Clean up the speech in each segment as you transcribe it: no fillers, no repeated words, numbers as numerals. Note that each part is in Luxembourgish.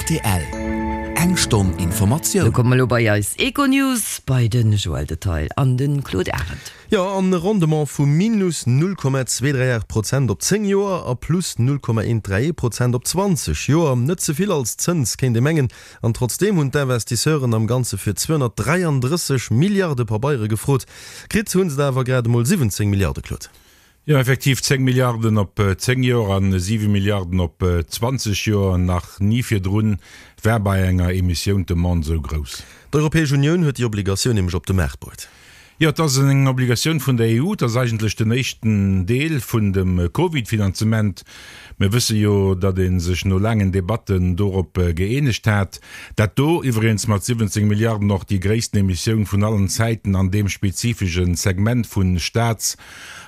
Rtl, Eng Stonn Informatioun. Lo komme mer elo bei eis Econews, bei de Joël Detail an de Claude Arend. Jo, an e Rendement vu minus 0,238 Prozent op 10 Joer a plus 0,131 Prozent op 20 Joer. Net ze vill als Zëns, kéint ee mengen. An trotzdeem hunn d'Investisseuren am Ganze fir 233 Milliarde Pabeiere gefrot. Kritt hu se der awer grad emol 17 Milliarde, Claude. Jo, effektiv 10 Milliarden op 10 Joer an 7 Milliarden op 20 Joer. Nach ni virdrun war bei enger Emissioun d'Demande esou grouss. D'Europäesch Unioun huet déi Obligatioun nämlech op de Maart bruet. Jo, et ass eng Obligatioun vun der EU. Et ass eigentlech den éischten Deel vun dem Covid-Finanzement. Mir wësse jo, datt ee sech no laangen Debatten dorop gëeenegt hat. Dat do iwwregens mat 17 Milliarden och déi gréissten Emissioun vun allen Zäiten an deem spezifesche Segment vu Staats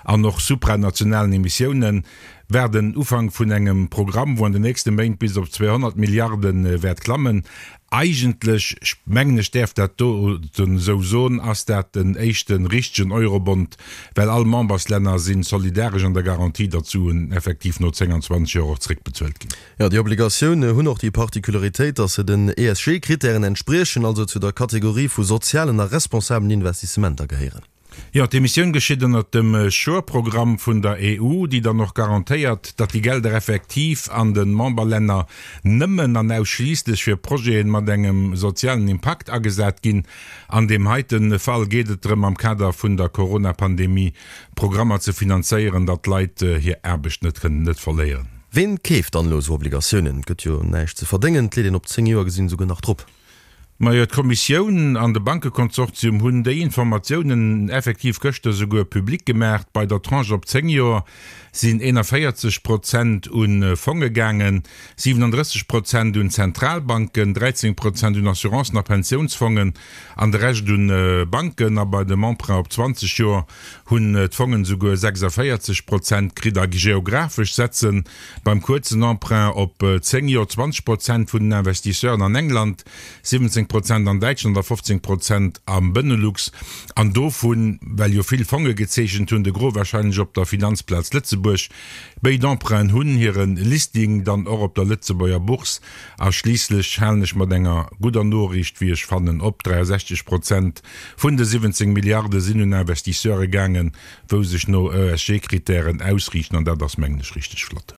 an och supranationalen Emissiounen, war den Ufank vun engem Programm, wou an den nächste Méint bis op 200 Milliarde wäert klammen. Eigentlech, mengen ech däerf dat doten esou soen, ass dat den éischte richtegen Eurobond, well all Memberslänner si solidaresch an der Garantie, datt d'Suen effektiv no 10 an 20 Joer och zréckbezuelt ginn. Jo, déi Obligatioune hunn och déi Particularitéit, datt se den ESG-Krittären entspriechen, also zu der Kategorie vu sozialen a responsabelen Investissementer gehéieren. Jo, d'Emissioun geschitt ënnert dem SURE-Programm vun der EU, déi dann och garantéiert, datt déi Gelder effektiv an de Memberlänner nëmmen an ausschliisslech fir Projete mat engem sozialen Impakt agesat ginn. An deem heite Fall geet et drëm, am Kader vun der Corona-Pandemie Programmer ze finanzéieren, datt d'Leit hir Aarbecht net kënnen net verléieren. Ween keeft dann elo esou Obligatiounen? Et gëtt jo näischt ze verdéngen, et leet een op 10 Joer gesinn esouguer nach drop. Majo, d'Kommissioun an de Bankekonsortium hunn déi Informatiounen effektiv gëschter souguer public gemaach. Bei der Tranche op 10 Joer sinn 41 Prozent u Fonge gaangen, 37 Prozent un Zentralbanken, 13 Prozent un Assurancen a Pensiounsfongen an de Rescht un Banken. A bei dem Emprunt op 20 Joer hunn d'Fongen souguer 46 Prozent kritt. A geographesch setzen Beim kuerzen Emprunt op 10 Joer 20 Prozent vun den Investisseuren an England, 17 Prozent an Däitschland a 15 Prozent am Benelux. An dovun, well jo vill Fonge gezeechent hunn, de Gros warscheinlech op der Finanzplaz Lëtzebuerg. Béid Emprunten hunn hire Listing dann och op der Lëtzebuerger Bourse. A schliisslech halen ech mat enger gudder Noriicht, wéi ech fannen, op, 63 Prozent vun de 17 Milliarde sinn un Investisseure gaangen, wou sech no ESG-Kritären ausriichten, an dat ass, mengen ech, richteg flott.